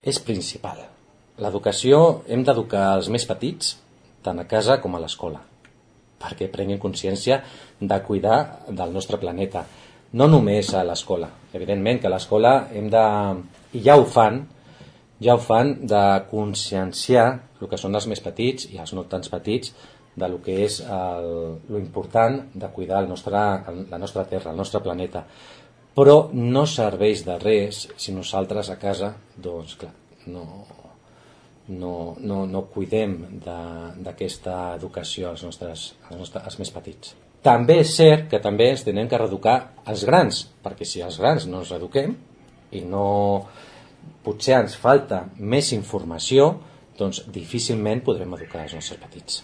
és principal. L'educació hem d'educar els més petits, tant a casa com a l'escola, perquè prenguin consciència de cuidar del nostre planeta. No només a l'escola. Evidentment que a l'escola hem de, i ja ho fan, de conscienciar el que són els més petits i els no tants petits de lo que és lo important de cuidar la nostra terra, el nostre planeta. Però no serveix de res si nosaltres a casa, doncs clar, no cuidem d'aquesta educació als més petits. També és cert que també ens tenem que reeducar els grans, perquè si els grans no ens reeduquem i potser ens falta més informació, doncs difícilment podrem educar els nostres petits.